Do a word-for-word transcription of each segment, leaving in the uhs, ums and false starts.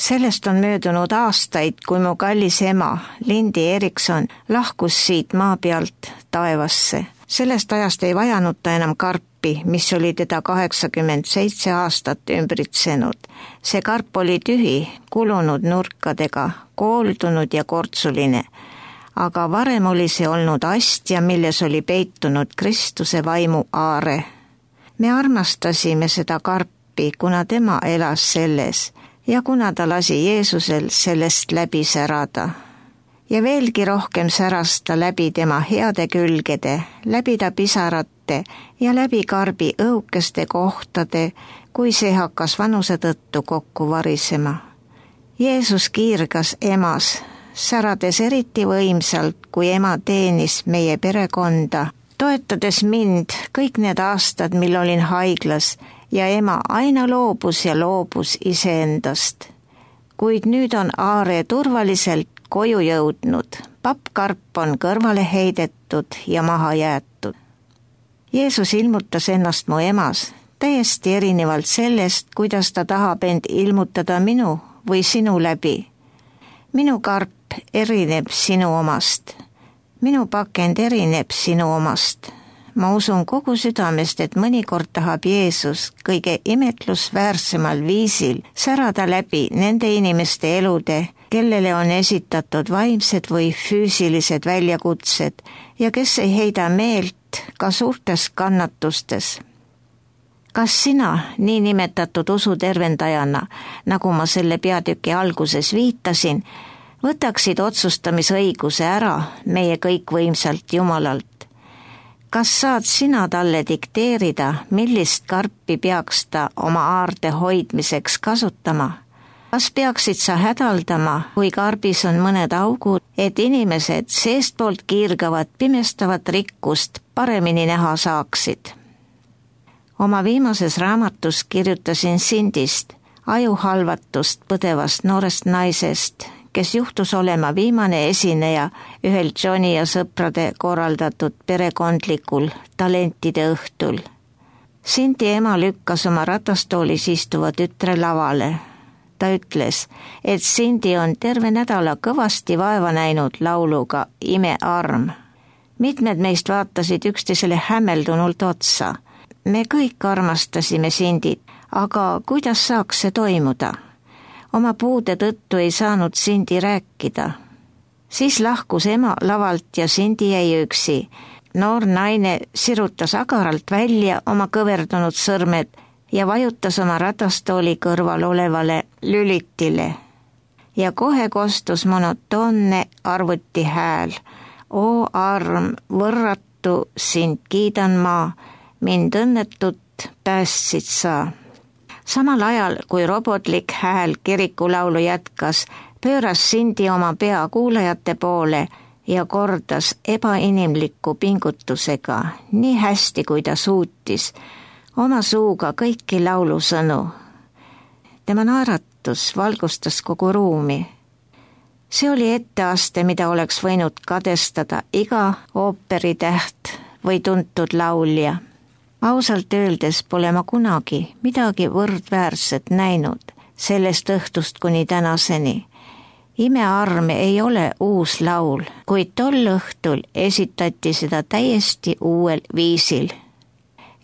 Sellest on möödunud aastaid, kui mu kallis ema, Lindi Erikson, lahkus siit maa pealt taevasse. Sellest ajast ei vajanud ta enam karpi, mis oli teda kaheksakümmend seitse aastat ümbritsenud. See karp oli tühi, kulunud nurkadega, kooldunud ja kortsuline. Aga varem oli see olnud astja, milles oli peitunud Kristuse vaimu aare. Me armastasime seda karpi, kuna tema elas selles ja kuna ta lasi Jeesusel sellest läbi särada. Ja veelgi rohkem säras ta läbi tema heade külgede, läbi ta pisarate ja läbi karbi õukeste kohtade, kui see hakkas vanuse tõttu kokku varisema. Jeesus kiirgas emas, särades eriti võimsalt, kui ema teenis meie perekonda, toetades mind kõik need aastad, mil olin haiglas, ja ema aina loobus ja loobus iseendast. Kuid nüüd on aare turvaliselt koju jõudnud, pappkarp on kõrvale heidetud ja maha jäetud. Jeesus ilmutas ennast mu emas, täiesti erinevalt sellest, kuidas ta tahab end ilmutada minu või sinu läbi. Minu karp erineb sinu omast, minu pakend erineb sinu omast. Ma usun kogu südamest, et mõnikord tahab Jeesus kõige imetlusväärsemal viisil särada läbi nende inimeste elude, kellele on esitatud vaimsed või füüsilised väljakutsed ja kes ei heida meelt ka suurtes kannatustes. Kas sina, nii nimetatud usutervendajana, nagu ma selle peatüki alguses viitasin, võtaksid otsustamisõiguse ära meie kõikvõimsalt Jumalalt? Kas saad sina talle dikteerida, millist karpi peaks ta oma aarde hoidmiseks kasutama? Kas peaksid sa hädaldama, kui karbis on mõned augud, et inimesed seestpoolt kiirgavat pimestavat rikkust paremini näha saaksid? Oma viimases raamatus kirjutasin Sindist, ajuhalvatust põdevast noorest naisest, kes juhtus olema viimane esineja ühel Johnny ja sõprade korraldatud perekondlikul talentide õhtul. Sindi ema lükkas oma ratastoolis istuva tütre lavale. Ta ütles, et Sindi on terve nädala kõvasti vaeva näinud lauluga Imearm. Mitmed meist vaatasid üksteisele hämmeldunult otsa. Me kõik armastasime Sindit, aga kuidas saaks see toimuda? Oma puude tõttu ei saanud Sindi rääkida. Siis lahkus ema lavalt ja Sindi jäi üksi. Noor naine sirutas agaralt välja oma kõverdunud sõrmed ja vajutas oma ratastooli kõrval olevale lülitile. Ja kohe kostus monotoonne arvuti hääl. O arm, võrratu, sind kiidan ma, mind õnnetut päästsid sa. Samal ajal, kui robotlik hääl kirikulaulu jätkas, pööras Sindi oma pea kuulajate poole ja kordas ebainimliku pingutusega, nii hästi kui ta suutis, oma suuga kõiki laulusõnu. Tema naeratus valgustas kogu ruumi. See oli etteaste, mida oleks võinud kadestada iga ooperitäht või tuntud laulja. Ausalt öeldes pole ma kunagi midagi võrdväärset näinud sellest õhtust kuni tänaseni. Imearme ei ole uus laul, kuid tol õhtul esitati seda täiesti uuel viisil.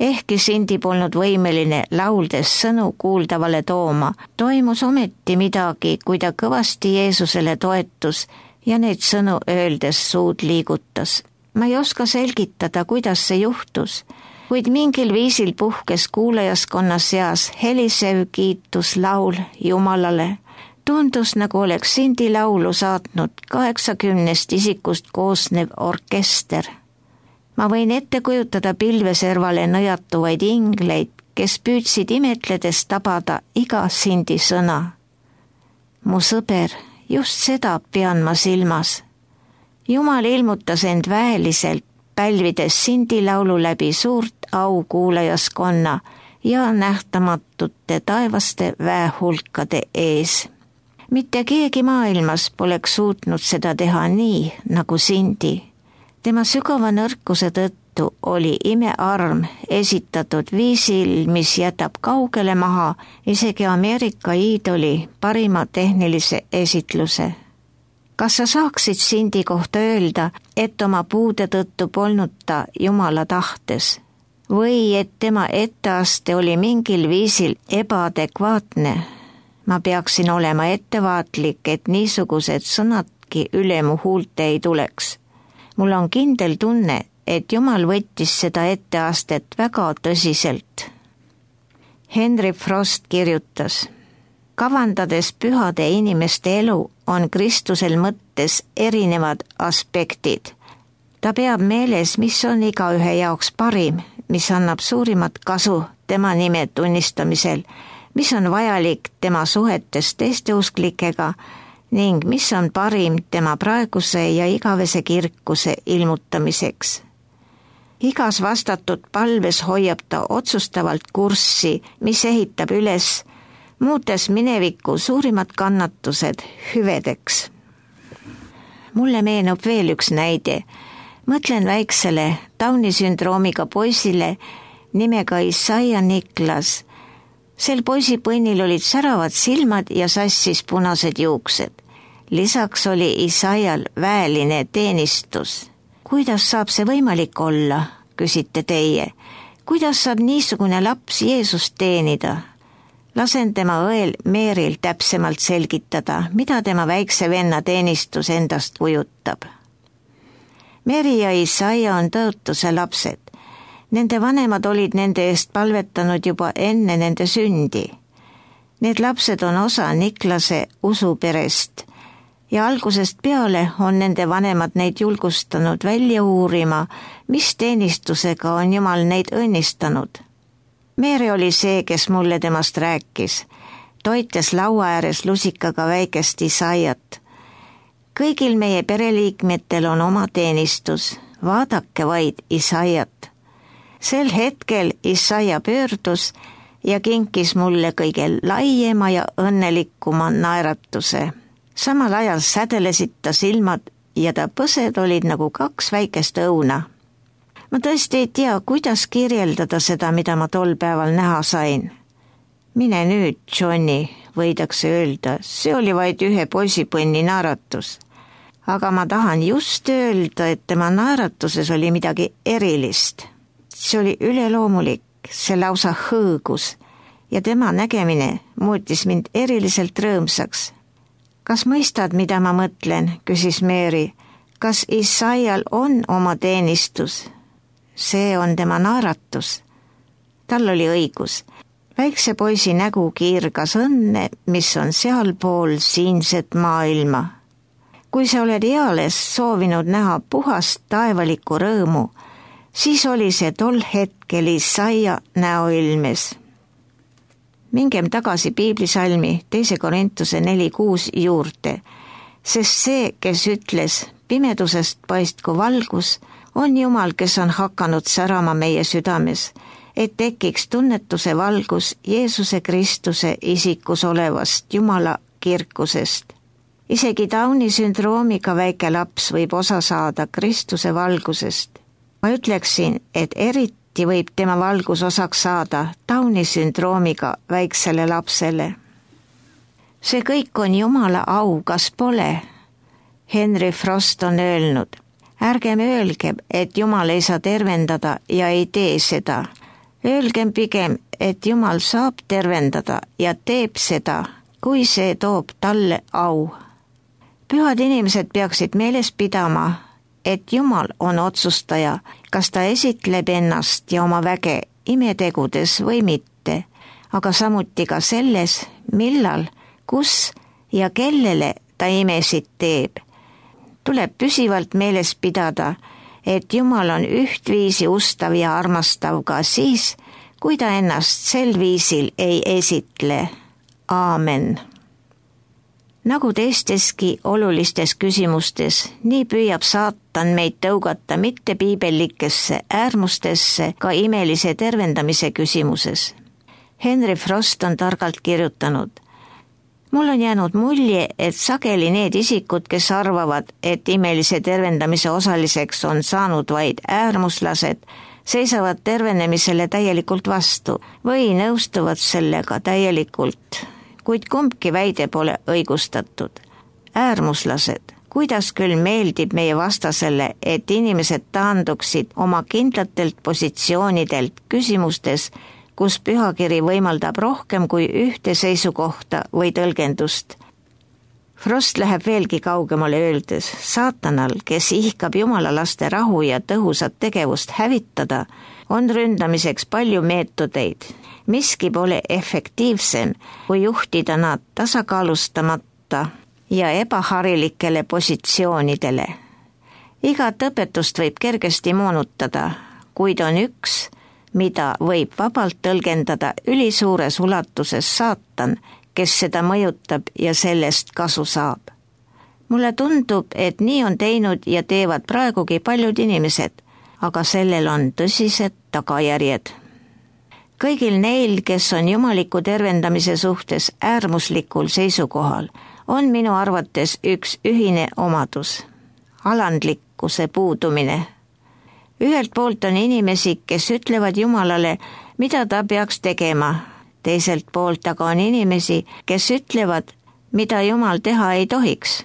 Ehkki Sindi polnud võimeline lauldes sõnu kuuldavale tooma, toimus ometi midagi, kui ta kõvasti Jeesusele toetus ja neid sõnu öeldes suud liigutas. Ma ei oska selgitada, kuidas see juhtus, kuid mingil viisil puhkes kuulajaskonna seas helisev kiituslaul Jumalale. Tundus, nagu oleks Sindi laulu saatnud kaheksakümnest isikust koosnev orkester. Ma võin ette kujutada pilveservale nõjatuvaid ingleid, kes püüdsid imetledes tabada iga Sindi sõna. Mu sõber, just seda pean ma silmas. Jumal ilmutas end väeliselt, pälvides Sindi laulu läbi suurt au kuulajaskonna ja nähtamatute taevaste väehulkade ees. Mitte keegi maailmas poleks suutnud seda teha nii, nagu Sindi. Tema sügava nõrkuse tõttu tõttu oli imearm esitatud viisil, mis jätab kaugele maha isegi Ameerika iidoli parima tehnilise esitluse. Kas sa saaksid Sindi kohta öelda, et oma puude tõttu polnud ta Jumala tahtes või et tema etteaste oli mingil viisil ebaadekvaatne? Ma peaksin olema ettevaatlik, et niisugused sõnadki üle mu huulte ei tuleks. Mul on kindel tunne, et Jumal võttis seda etteastet väga tõsiselt. Henry Frost kirjutas: kavandades pühade inimeste elu on Kristusel mõttes erinevad aspektid. Ta peab meeles, mis on igaühe jaoks parim, mis annab suurimat kasu tema nime tunnistamisel, mis on vajalik tema suhetes teiste usklikega ning mis on parim tema praeguse ja igavese kirkuse ilmutamiseks. Igas vastatud palves hoiab ta otsustavalt kurssi, mis ehitab üles, muutes mineviku suurimad kannatused hüvedeks. Mulle meenub veel üks näide. Mõtlen väiksele Downi sündroomiga poisile nimega Isaiah Niklas. Sel poisipõnnil olid säravad silmad ja sassis punased juuksed. Lisaks oli Isaial väeline teenistus. Kuidas saab see võimalik olla, küsite teie? Kuidas saab niisugune laps Jeesust teenida? Lasen tema õel Meeril täpsemalt selgitada, mida tema väikse venna teenistus endast kujutab. Meeri ja Isaiah on tõotuse lapsed. Nende vanemad olid nende eest palvetanud juba enne nende sündi. Need lapsed on osa Niklase usuperest ja algusest peale on nende vanemad neid julgustanud välja uurima, mis teenistusega on Jumal neid õnnistanud. Meeri oli see, kes mulle temast rääkis, toites laua ääres lusikaga väikest Isaiat. Kõigil meie pereliikmetel on oma teenistus, vaadake vaid Isaiat. Sel hetkel Isaia pöördus ja kinkis mulle kõige laiema ja õnnelikuma naeratuse. Samal ajal sädelesid ta silmad ja ta põsed olid nagu kaks väikest õuna. Ma tõesti ei tea, kuidas kirjeldada seda, mida ma tol päeval näha sain. Mine nüüd, Johnny, võidakse öelda, see oli vaid ühe poisipõnni naeratus. Aga ma tahan just öelda, et tema naeratuses oli midagi erilist. See oli üleloomulik, see lausa hõõgus ja tema nägemine muutis mind eriliselt rõõmsaks. Kas mõistad, mida ma mõtlen, küsis Meeri. Kas Isaial on oma teenistus? See on tema naeratus. Tal oli õigus. Väikse poisi nägu kiirgas õnne, mis on sealpool siinset maailma. Kui sa oled eales soovinud näha puhast taevalikku rõõmu, siis oli see tol hetkel Isaia näoilmes. Mingem tagasi piiblisalmi teise Korintuse neli kuus juurde, sest see, kes ütles, pimedusest paistku valgus, on Jumal, kes on hakanud särama meie südames, et tekiks tunnetuse valgus Jeesuse Kristuse isikus olevast Jumala kirkusest. Isegi Downi sündroomiga väike laps võib osa saada Kristuse valgusest. Ma ütleksin, et eriti võib tema valgus osaks saada Downi sündroomiga väiksele lapsele. See kõik on Jumala au, kas pole? Henry Frost on öelnud, ärgem öelgem, et Jumal ei saa tervendada ja ei tee seda. Öelgem pigem, et Jumal saab tervendada ja teeb seda, kui see toob talle au. Pühad inimesed peaksid meeles pidama, et Jumal on otsustaja, kas ta esitleb ennast ja oma väge imetegudes või mitte, aga samuti ka selles, millal, kus ja kellele ta imesid teeb. Tuleb püsivalt meeles pidada, et Jumal on ühtviisi ustav ja armastav ka siis, kui ta ennast sel viisil ei esitle. Aamen. Nagu teisteski olulistes küsimustes, nii püüab saatan meid tõugata mitte piibellikesse äärmustesse ka imelise tervendamise küsimuses. Henry Frost on targalt kirjutanud, mul on jäänud mulje, et sageli need isikud, kes arvavad, et imelise tervendamise osaliseks on saanud vaid äärmuslased, seisavad tervenemisele täielikult vastu või nõustuvad sellega täielikult, kuid kumbki väide pole õigustatud. Äärmuslased, kuidas küll meeldib meie vastasele, et inimesed taanduksid oma kindlatelt positsioonidelt küsimustes, kus pühakiri võimaldab rohkem kui ühte seisukohta või tõlgendust. Frost läheb veelgi kaugemale öeldes, saatanal, kes ihkab jumala laste rahu ja tõhusat tegevust hävitada, on ründamiseks palju meetodeid. Miski pole efektiivsem, kui juhtida nad tasakaalustamata ja ebaharilikele positsioonidele. Igat õpetust võib kergesti moonutada, kuid on üks, mida võib vabalt tõlgendada ülisuures ulatuses saatan, kes seda mõjutab ja sellest kasu saab. Mulle tundub, et nii on teinud ja teevad praegugi paljud inimesed, aga sellel on tõsised tagajärjed. Kõigil neil, kes on jumaliku tervendamise suhtes äärmuslikul seisukohal, on minu arvates üks ühine omadus, alandlikkuse puudumine. Ühelt poolt on inimesi, kes ütlevad Jumalale, mida ta peaks tegema. Teiselt poolt aga on inimesi, kes ütlevad, mida Jumal teha ei tohiks.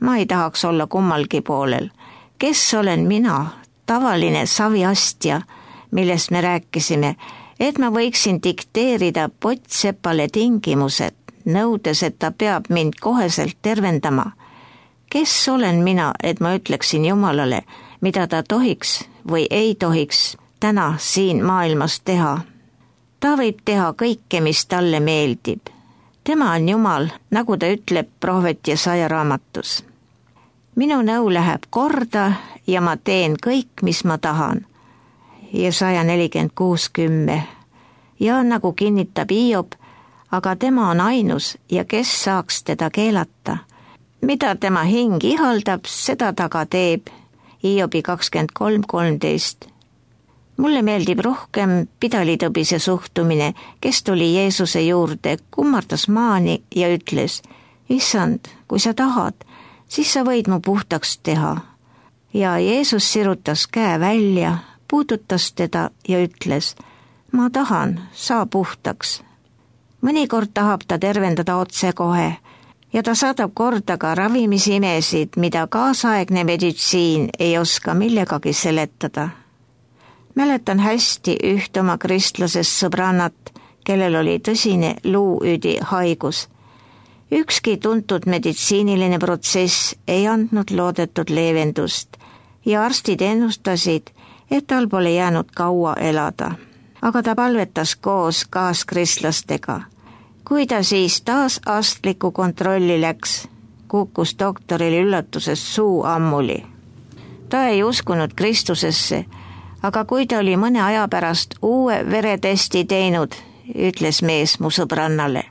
Ma ei tahaks olla kummalgi poolel. Kes olen mina, tavaline saviastja, millest me rääkisime, et ma võiksin dikteerida pottsepale tingimused, nõudes, et ta peab mind koheselt tervendama. Kes olen mina, et ma ütleksin Jumalale, mida ta tohiks või ei tohiks täna siin maailmas teha. Ta võib teha kõike, mis talle meeldib. Tema on Jumal, nagu ta ütleb prohvet Jesaja raamatus. Minu nõu läheb korda ja ma teen kõik, mis ma tahan. Jesaja nelikümmend kuus kümme. Ja nagu kinnitab Hiob, aga tema on ainus ja kes saaks teda keelata. Mida tema hing ihaldab, seda ta ka teeb. Hiobi kakskümmend kolm kolmteist. Mulle meeldib rohkem pidalitõbise suhtumine, kes tuli Jeesuse juurde, kummardas maani ja ütles, Issand, kui sa tahad, siis sa võid mu puhtaks teha. Ja Jeesus sirutas käe välja, puudutas teda ja ütles, ma tahan, saa puhtaks. Mõnikord tahab ta tervendada otsekohe ja ta saadab korda ka ravimisimesid, mida kaasaegne meditsiin ei oska millegagi seletada. Mäletan hästi üht oma kristlasest sõbrannat, kellel oli tõsine luuüdi haigus. Ükski tuntud meditsiiniline protsess ei andnud loodetud leevendust ja arstid ennustasid, et tal pole jäänud kaua elada. Aga ta palvetas koos kaaskristlastega. Kui ta siis taas arstliku kontrolli läks, kukkus doktoril üllatuses suu ammuli. Ta ei uskunud Kristusesse, aga kui ta oli mõne aja pärast uue veretesti teinud, ütles mees mu sõbrannale,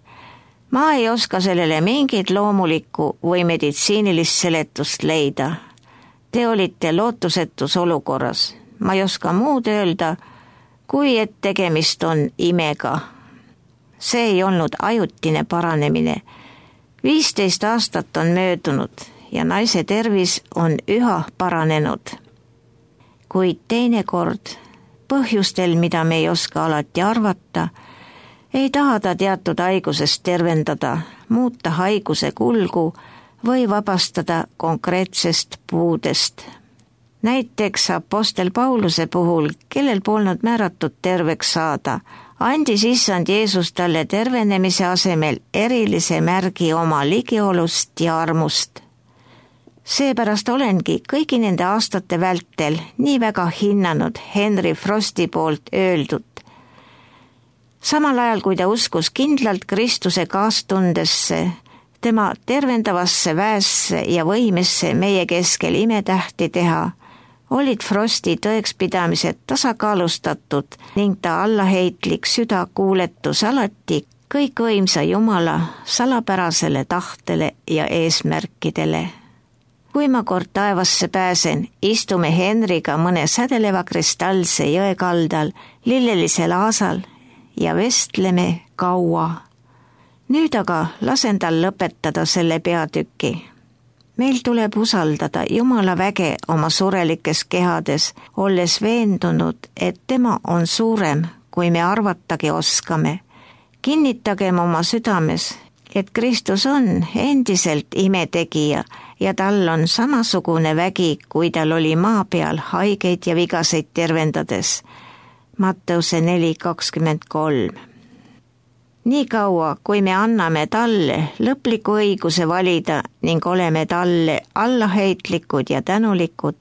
ma ei oska sellele mingit loomulikku või meditsiinilist seletust leida. Te olite lootusetus olukorras. Ma ei oska muud öelda, kui et tegemist on imega. See ei olnud ajutine paranemine. viisteist aastat on möödunud ja naise tervis on üha paranenud. Kuid teinekord, põhjustel, mida me ei oska alati arvata, ei taha ta teatud haigusest tervendada, muuta haiguse kulgu või vabastada konkreetsest puudest. Näiteks apostel Pauluse puhul, kellel polnud määratud terveks saada, andis issand Jeesus talle tervenemise asemel erilise märgi oma ligiolust ja armust. Seepärast olengi kõigi nende aastate vältel nii väga hinnanud Henry Frosti poolt öeldud. Samal ajal, kui ta uskus kindlalt Kristuse kaastundesse, tema tervendavasse väesse ja võimesse meie keskel imetähti teha, olid Frosti tõekspidamised tasakaalustatud ning ta allaheitlik südakuuletus alati kõikvõimsa Jumala salapärasele tahtele ja eesmärkidele. Kui ma kord taevasse pääsen, istume Henriga mõne sädeleva kristallse jõe kaldal lillelisel aasal ja vestleme kaua. Nüüd aga lasen tal lõpetada selle peatüki. Meil tuleb usaldada Jumala väge oma surelikes kehades, olles veendunud, et tema on suurem, kui me arvatagi oskame. Kinnitagem oma südames, et Kristus on endiselt imetegija ja tal on samasugune vägi, kui tal oli maa peal haigeid ja vigaseid tervendades. Matteuse neli kakskümmend kolm. Nii kaua, kui me anname talle lõpliku õiguse valida ning oleme talle allaheitlikud ja tänulikud,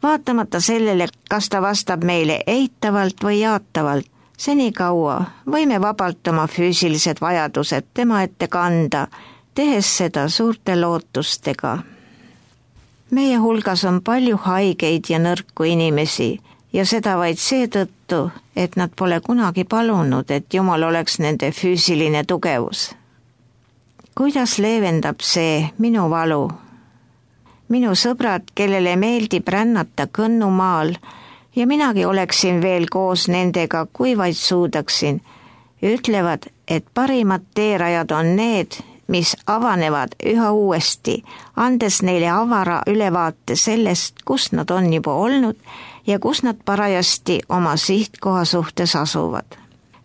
vaatamata sellele, kas ta vastab meile eitavalt või jaatavalt, senikaua võime vabalt oma füüsilised vajadused tema ette kanda, tehes seda suurte lootustega. Meie hulgas on palju haigeid ja nõrku inimesi ja seda vaid seetõttu, et nad pole kunagi palunud, et Jumal oleks nende füüsiline tugevus. Kuidas leevendab see minu valu? Minu sõbrad, kellele meeldib rännata kõnnumaal ja minagi oleksin veel koos nendega, kui vaid suudaksin, ütlevad, et parimad teerajad on need, mis avanevad üha uuesti, andes neile avara ülevaate sellest, kus nad on juba olnud ja kus nad parajasti oma sihtkoha suhtes asuvad.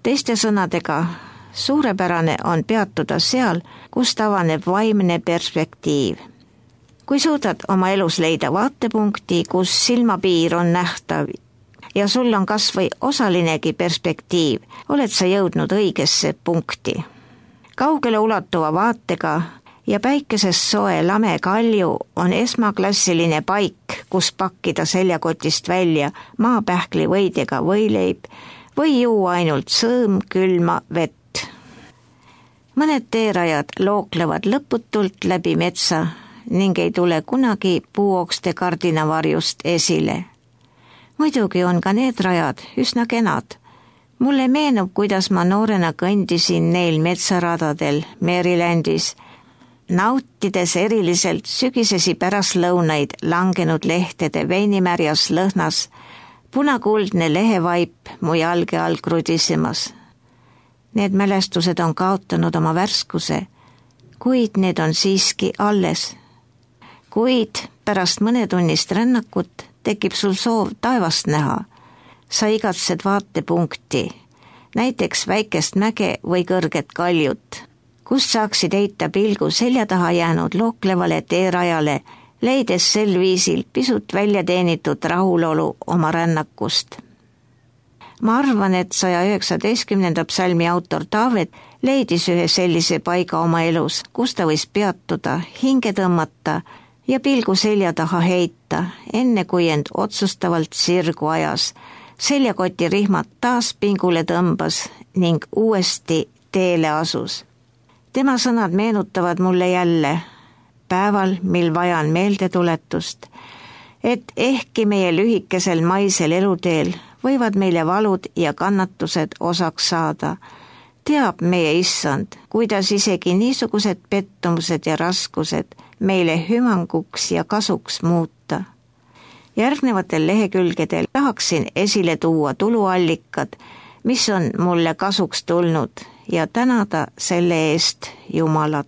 Teiste sõnadega, suurepärane on peatuda seal, kust avaneb vaimne perspektiiv. Kui suudad oma elus leida vaatepunkti, kus silmapiir on nähtav ja sul on kas või osalinegi perspektiiv, oled sa jõudnud õigesse punkti. Kaugele ulatuva vaatega ja päikesest soe lame kalju on esmaklassiline paik, kus pakkida seljakotist välja maapähkli võidega võileib või juua ainult sõõm külma vett. Mõned teerajad looklevad lõputult läbi metsa ning ei tule kunagi puuokste kardinavarjust esile. Muidugi on ka need rajad üsna kenad. Mulle meenub, kuidas ma noorena kõndisin neil metsaradadel Marylandis, nautides eriliselt sügisesi pärastlõunaid langenud lehtede veinimärjas lõhnas, punakuldne lehevaip mu jalge all krudisemas. Need mälestused on kaotanud oma värskuse, kuid need on siiski alles. Kuid pärast mõnetunnist rännakut tekib sul soov taevast näha. Sa igatsed vaatepunkti, näiteks väikest mäge või kõrget kaljut, kust saaksid heita pilgu selja taha jäänud looklevale teerajale, leides sel viisil pisut välja teenitud rahulolu oma rännakust. Ma arvan, et saja üheksateistkümnenda psalmi autor Taavet leidis ühe sellise paiga oma elus, kus ta võis peatuda, hinge tõmmata ja pilgu selja taha heita, enne kui end otsustavalt sirgu ajas, seljakoti rihmad taas pingule tõmbas ning uuesti teele asus. Tema sõnad meenutavad mulle jälle, päeval, mil vajan meeldetuletust, et ehkki meie lühikesel maisel eluteel võivad meile valud ja kannatused osaks saada, teab meie issand, kuidas isegi niisugused pettumused ja raskused meile hüvanguks ja kasuks muuta. Järgnevatel lehekülgedel tahaksin esile tuua tuluallikad, mis on mulle kasuks tulnud ja tänada selle eest Jumalat.